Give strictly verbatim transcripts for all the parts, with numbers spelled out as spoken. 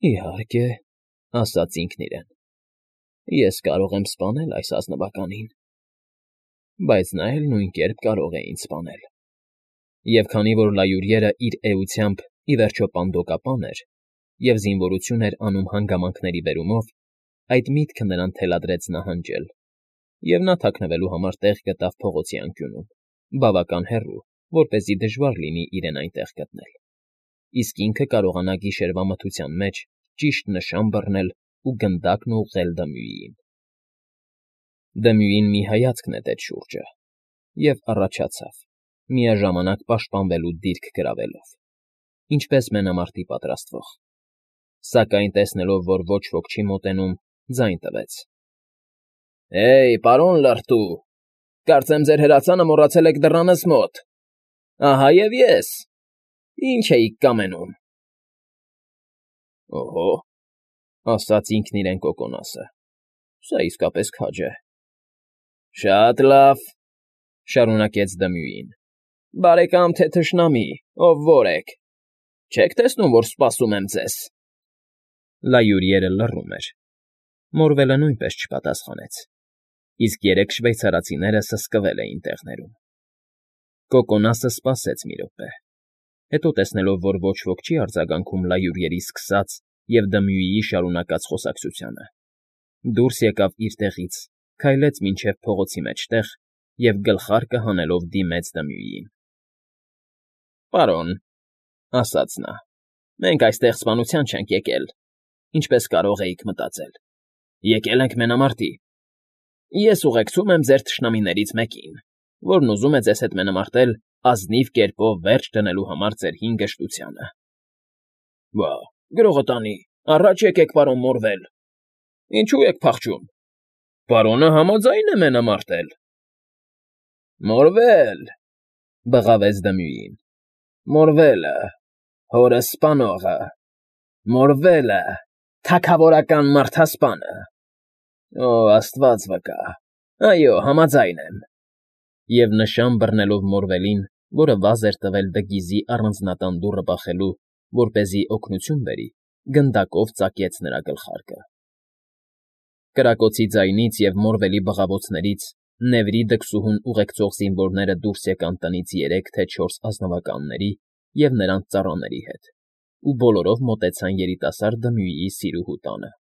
Իհարկե, ասաց ինքն իրեն, ես կարող եմ սպանել այս ազնվականին, բայց նա էլ նույն կերպ կարող է ինձ սպանել, և քանի որ լայուրիերն իր էությամբ ի վերջո պանդոկապան էր և զինվորություն էր անում հանգամանքների բերումով, այդ միտքը նրան թելադրեց նահանջել, և նա թաքնվելու համար տեղ գտավ փողոցի անկյունում, բավական հեռու, որպեսզի դժվար լինի իրեն այնտեղ գտնել, իսկ ինքը կարողանա գիշերվա մթության մեջ ճիշտ նշան բռնել ու գնդակն ուղղել Դմյուիին։ Դմյուին մի հայացք նետեց շուրջը և առաջացավ, միաժամանակ պաշտպանվելու դիրք գրավելով, ինչպես մենամարտի պատրաստվող, սակայն տեսնելով, որ ոչ ոք չի մոտենում, ձայն տվեց. «Հեյ, պարոն լրտու, կարծեմ ձեր հրացանը մոռացել եք դռանս մոտ, ահա և ես, ի՞նչ էիք կամենում»։ ֊ Օհո, ասաց ինքն իրեն Կոկոնասը, սա իսկապես քաջ է։ ֊ Շատ լավ,֊ շարունակեց Դմյուին,֊ բարեկամ թե թշնամի, ով որ եք, չե՞ք տեսնում, որ սպասում եմ ձեզ։ Լայուրիերը լռում էր, Մորվելը նույնպես չպատասխանեց, իսկ երեք շվեյցարացիները սսկվել էին տեղներում։ Կոկոնասը սպասեց մի րոպե, հետո տեսնելով, որ ոչ ոք չի արձագանքում լայուրիերի սկսած և Դմյուիի շարունակած խոսակցությանը, դուրս եկավ իր տեղից, քայլեց մինչև փողոցի մեջտեղ և գլխարկը հանելով դիմեց Դմյուիին։ ֊ Պարոն,֊ ասաց նա,֊ մենք այստեղ սպանության չենք եկել, ինչպես կարող էիք մտածել, եկել ենք մենամարտի։ Ես ուղեկցում եմ ձեր թշնամիներից մեկին, որն ուզում է ձեզ հետ մենամարտել ազնիվ կերպով վերջ դնելու համար ձեր հին գժտությանը։ ֊ Բա, գրողը տանի, առաջ եկեք, պարոն Մորվել, ինչո՞ւ եք փախչում, պարոնը համաձայն է մենամարտել։ ֊ Մորվել,֊ բղավեց Դմյուին,֊ Մորվելը, հորս սպանողը, Մորվելը, թագավորական մարդասպանը։ Օ, աստված վկա, այո, համաձայն եմ։ Եվ նշան բռնելով Մորվելին, որը վազ էր տվել Դգիզի առանձնատան դուռը բախելու, որպեսզի օգնություն բերի, գնդակով ծակեց նրա գլխարկը։ Կրակոցի ձայնից և Մորվելի բղավոցներից Նևրի դքսուհուն ուղեկցող զինվորները դուրս եկան տնից երեք թե չորս ազնվականների և նրանց ծառաների հետ ու բոլորով մոտեցան երիտասարդ Դմյուիի սիրուհու տանը։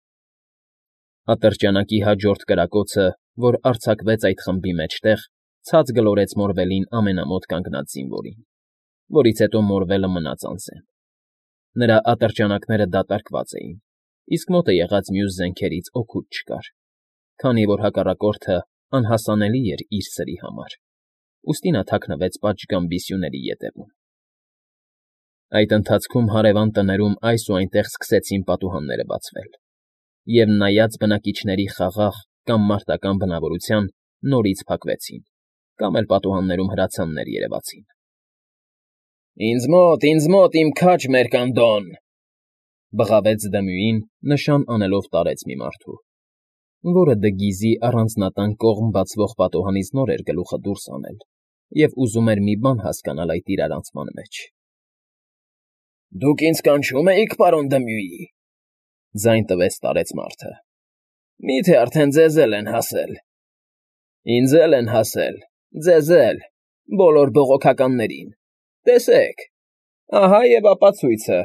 Ատրճանակի հաջորդ կրակոցը, որ արձակվեց այդ խմբի մեջտեղ, ցած գլորեց Մորվելին ամենամոտ կանգնած զինվորին, որից հետո Մորվելը մնաց անզեն։ Նրա ատրճանակները դատարկված էին, իսկ մոտը եղած մյուս զենքերից օգուտ չկար, քանի որ հակառակորդը անհասանելի էր իր սրի համար, ուստի նա թաքնվեց պատշգամբ բիսյուների ետևում։ Այդ ընթացքում հարևան տներում այս ու այնտեղ սկսեցին պատուհանները բացվել, և նայած բնակիչների խաղաղ կամ մարտական բնավորության, նորից փակվեցին, կամ էլ պատուհաններում հրացաններ երևացին։ ֊ Ինձ մոտ, ինձ մոտ, իմ քաջ մերկանդոն,֊ բղավեց Դմյուին, նշան անելով տարեց մի մարդու, որը Դգիզի առանձնատան կողմ բացվող պատուհանից նոր էր գլուխը դուրս հանել և ուզում էր մի բան հասկանալ այդ իրարանցման մեջ։ ֊ Դուք ինձ կանչո՞ւմ էիք, պարոն Դմյուի,֊ ձայն տվեց տարեց մարդը։ ֊ Մի՞թե արդեն ձեզ էլ են հասել։ ֊ Ինձ էլ են հասել, ձեզ էլ, բոլոր բողոքականներին, տեսեք, ահա և ապացույցը։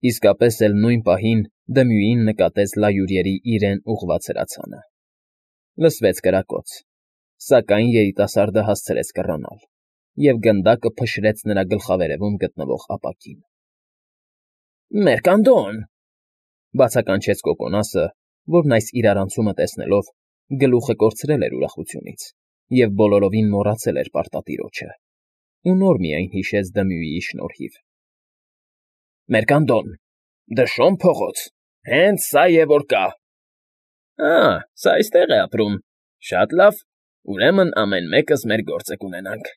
Իսկապես էլ նույն պահին Դմյուին նկատեց լայուրիերի իրեն ուղղված հրացանը։ Լսվեց կրակոց, սակայն երիտասարդը հասցրեց կռանալ, և գնդակը փշրեց նրա գլխավերևում գտնվող ապակին։ ֊ Մերկանդոն,֊ բացականչեց Կոկոնասը, որն այս իրարանցումը տեսնելով գլուխը կորցրել էր ուրախությունից և բոլորովին մոռացել էր պարտատիրոջը ու նոր միայն հիշեց Դմյուիի շնորհիվ։ ֊ Մերկանդոն, Դշոն փողոց, հենց սա է, որ կա։ ֊ Ա՜, սա այստեղ է ապրում, շատ լավ, ուրեմն ամեն մեկս մեր գործը կունենանք։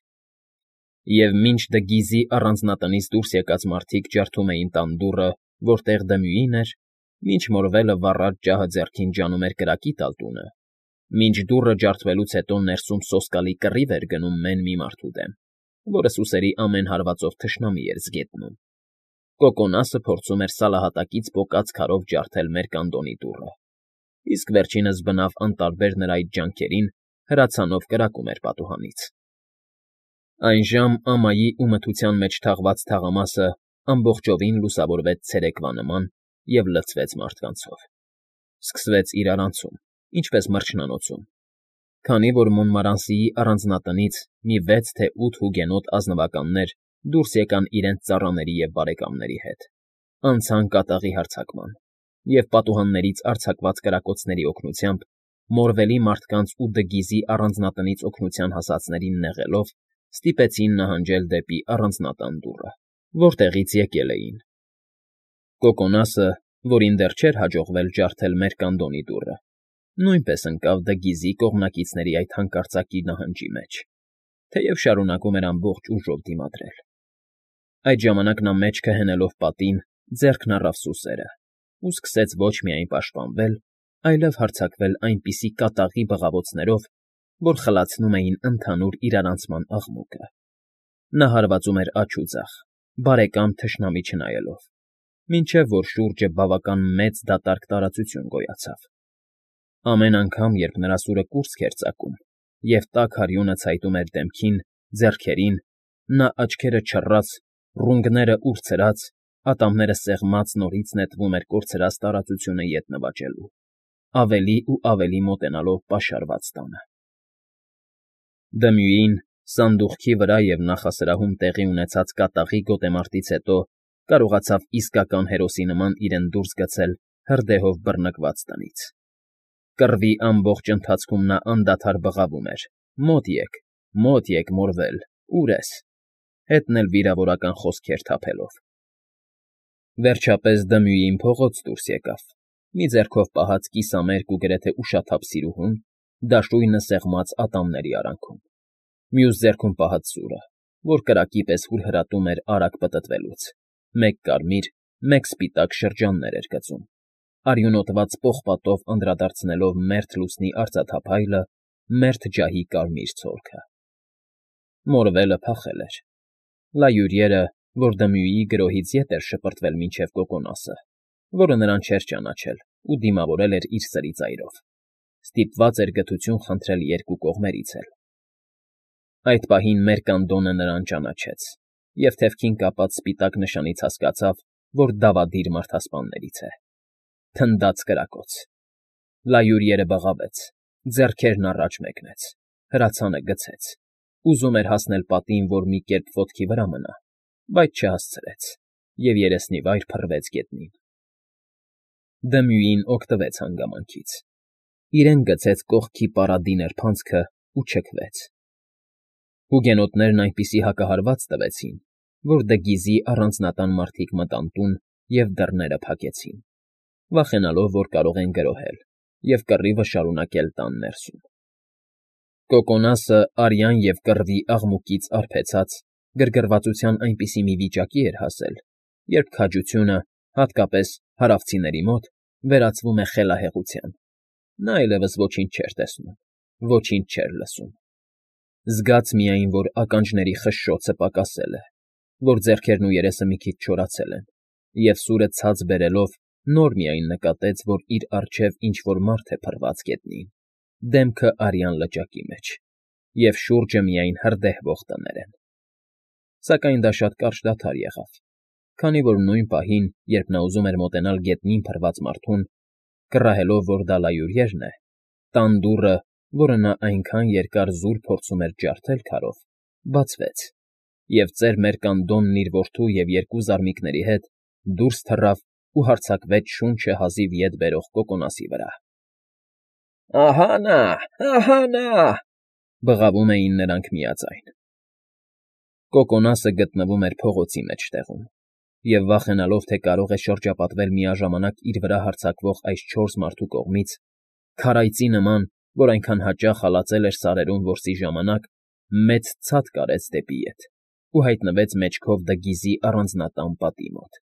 Եվ մինչ Դգիզի առանձնատնից դուրս եկած մարդիկ ջարդում էին տան դուռը, որտեղ Դմյուին էր, մինչ Մորվելը վառած ջահը ձեռքին ջանում էր կրակի տալ տունը, մինչ դուռը ջարդվելուց հետո ներսում սոսկալի կռիվ էր գնում մեն մի մարդու դեմ, որը սուսերի ամեն հարվածով թշնամի էր զգետնում, Կոկոնասը փորձում էր սալահատակից պոկած քարով ջարդել մերկանդոնի դուռը, իսկ վերջինս բնավ անտարբեր նրա այդ ջանքերին, հրացանով կրակում էր պատուհանից։ Այնժամ ամայի ու մթության մեջ թաղված թաղամասը ամբողջովին լուսավորվեց ցերեկվա նման և լցվեց մարդկանցով։ Սկսվեց իրարանցում, ինչպես մրջնանոցում, քանի որ Մոնմարանսիի առանձնատնից մի վեց թե ութ հուգենոտ ազնվականներ դուրս եկան իրենց ծառաների և բարեկամների հետ, անցան կատաղի հարձակման և պատուհաններից արձակված կրակոցների օգնությամբ, Մորվելի մարդկանց ու Դգիզի առանձնատնից օգնության հասածներին նեղելով, ստիպեցին նահանջել դեպի առանձնատան դուռը, որտեղից եկել էին։ Կոկոնասը, որին դեռ չէր հաջողվել ջարդել մերկանդոնի դուռը, նույնպես ընկավ Դգիզի կողմնակիցների այդ հանկարծակի նահանջի մեջ, թեև շարունակում էր ամբողջ ուժով դիմադրել։ Այդ ժամանակ նա մեջքը հենելով պատին, ձեռքն առավ սուսերը ու սկսեց ոչ միայն պաշտպանվել, այլև հարձակվել այնպիսի կատաղի բղավոցներով, որ խլացնում էին ընդհանուր իրարանցման աղմուկը։ Նա հարվածում էր աջ ու ձախ, բարեկամ թշնամի չնայելով, մինչև որ շուրջը բավական մեծ դատարկ տարածություն գոյացավ։ Ամեն անգամ, երբ նրա սուրը կուրծք էր ծակում, և տաք արյունը ցայտում էր դեմքին, ձեռքերին, նա աչքերը չռած, ռունգները ուրցրած, ատամները սեղմած նորից նետվում էր կորցրած տարածությունը ետ նվաճելու, ավելի ու ավելի մոտենալով պաշարված տանը։ Դմյուին, սանդուղքի վրա և նախասրահում տեղի ունեցած կատաղի գոտեմարտից հետո կարողացավ իսկական հերոսի նման իրեն դուրս գցել հրդեհով բռնկված տնից։ Կռվի ամբողջ ընթացքում նա անդադար բղավում էր. «Մոտ եք, մոտ եք, Մորվել, ո՞ւր ես», հետն էլ վիրավորական խոսքեր թափելով։ Վերջապես Դմյուին փողոց դուրս եկավ, մի ձեռքով պահած կիսամերկ ու գրեթե ուշաթափ սիրուհուն, դաշույնը սեղմած ատամների արանքում, մյուս ձեռքում պահած սուրը, որ կրակի պես հուրհրատում էր արագ պտտվելուց, մեկ կարմիր, մեկ սպիտակ շրջաններ էր գծում, արյունոտված պողպատով անդրադարձնելով մերթ լուսնի արծաթափայլը, մերթ ջահի կարմիր ցոլքը։ Մորվելը փախել էր։ Լայուրիերը, որ Դմյուիի գրոհից ետ էր շպրտվել մինչև Կոկոնասը, որը նրան չէր ճանաչել ու դիմավորել էր իր սրի ծայրով, ստիպված էր գթություն խնդրել երկու կողմերից էլ։ Այդ պահին մերկանդոնը նրան ճանաչեց և թևքին կապած սպիտակ նշանից հասկացավ, որ դավադիր մարդասպաններից է։ Թնդաց կրակոց։ Լայուրիերը բղավեց, ձեռքերն առաջ մեկնեց, հրացանը գցեց, ուզում էր հասնել պատին, որ մի կերպ ոտքի վրա մնա, բայց չհասցրեց և երեսնիվայր փռվեց գետնին։ Դմյուին օգտվեց հանգամանքից, իրեն գցեց կողքի պարադի նրբանցքը ու չքվեց։ Հուգենոտներն այնպիսի հակահարված տվեցին, որ Դգիզի առանձնատան մարդիկ մտան տուն և դռները փակեցին, վախենալով, որ կարող են գրոհել և կռիվը շարունակել տան ներսում։ Կոկոնասը արյան և կռվի աղմուկից արբեցած, գրգռվածության այնպիսի մի վիճակի էր հասել, երբ քաջությունը, հատկապես հարավցիների մոտ, վերածվում է խելահեղության։ Նա այլևս ոչինչ չէր տեսնում, ոչինչ չէր լսում։ Զգաց միայն, որ ականջների խշշոցը պակասել է, որ ձեռքերն ու երեսը մի քիչ չորացել են, և սուրը ցած բերելով նոր միայն նկատեց, որ իր առջև ինչ֊որ մարդ է փռված գետնին, դեմքը արյան լճակի մեջ, և շուրջը միայն հրդեհվող տներ են։ Սակայն դա շատ կարճ դադար եղավ, քանի որ նույն պահին, երբ նա ուզում էր մոտենալ գետնին փռված մարդուն, կռահելով, որ դա լայուրիերն է, տան դուռը, որը նա այնքան երկար զուր փորձում էր ջարդել քարով, բացվեց, և ծեր Մերկանդոնն իր որդու և երկու զարմիկների հետ դուրս թռավ ու հարձակվեց շունչը հազիվ ետ բերող Կոկոնասի վրա։ «Ահա նա, ահա նա», բղավում էին նրանք միաձայն։ Կոկոնասը գտնվում էր փողոցի մեջտեղում, և վախենալով, թե կարող է շրջապատվել միաժամանակ իր վրա հարձակվող այս չորս մարդու կողմից, քարայծի նման, որ այնքան հաճախ հալածել էր սարերում որսի ժամանակ, մեծ ցատկ արեց դեպի ետ ու հայտնվեց մեջքով Դգիզի առանձնատան պատի մոտ։